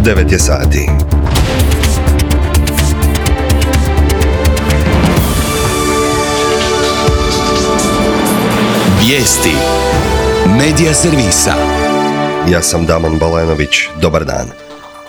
9 je sati. Vijesti Medija servisa. Ja sam Damon Balenović. Dobar dan.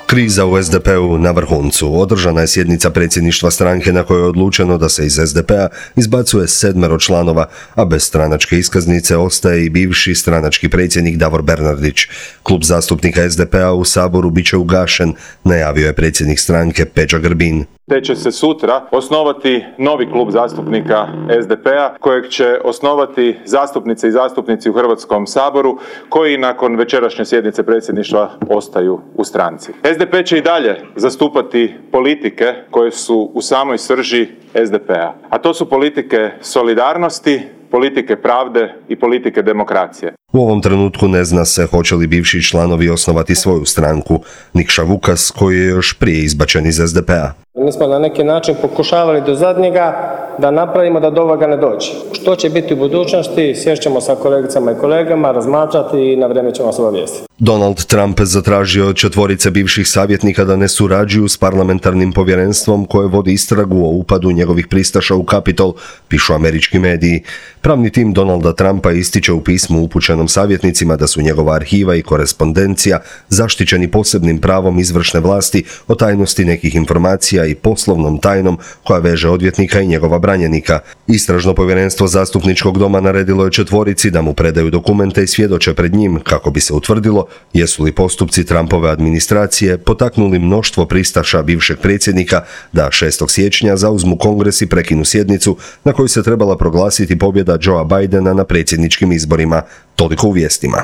Kriza u SDP-u na vrhuncu. Održana je sjednica predsjedništva stranke na kojoj je odlučeno da se iz SDP-a izbacuje 7 članova, a bez stranačke iskaznice ostaje i bivši stranački predsjednik Davor Bernardić. Klub zastupnika SDP-a u Saboru bit će ugašen, najavio je predsjednik stranke Peđa Grbin. Te će se sutra osnovati novi klub zastupnika SDP-a kojeg će osnovati zastupnice i zastupnici u Hrvatskom saboru koji nakon večerašnje sjednice predsjedništva ostaju u stranci. SDP će i dalje zastupati politike koje su u samoj srži SDP-a, a to su politike solidarnosti, politike pravde i politike demokracije. U ovom trenutku ne zna se hoće li bivši članovi osnovati svoju stranku. Nikša Vukas, koji je još prije izbačen iz SDP-a. Mi smo na neki način pokušavali do zadnjega da napravimo da do ovoga ne dođe. Što će biti u budućnosti, sješćemo sa kolegicama i kolegama, razmatrati i na vrijeme ćemo vas obavijestiti. Donald Trump zatražio od 4 bivših savjetnika da ne surađuju s parlamentarnim povjerenstvom koje vodi istragu o upadu njegovih pristaša u Kapitol, pišu američki mediji. Pravni tim Donalda Trumpa ističe u pismu upućenom savjetnicima da su njegova arhiva i korespondencija zaštićeni posebnim pravom izvršne vlasti o tajnosti nekih informacija i poslovnom tajnom koja veže odvjetnika i njegova branjenika. Istražno povjerenstvo zastupničkog doma naredilo je 4 da mu predaju dokumente i svjedoče pred njim kako bi se utvrdilo jesu li postupci Trumpove administracije potaknuli mnoštvo pristaša bivšeg predsjednika da 6. siječnja zauzmu Kongres i prekinu sjednicu na kojoj se trebala proglasiti pobjeda Joea Bidena na predsjedničkim izborima. Toliko u vijestima.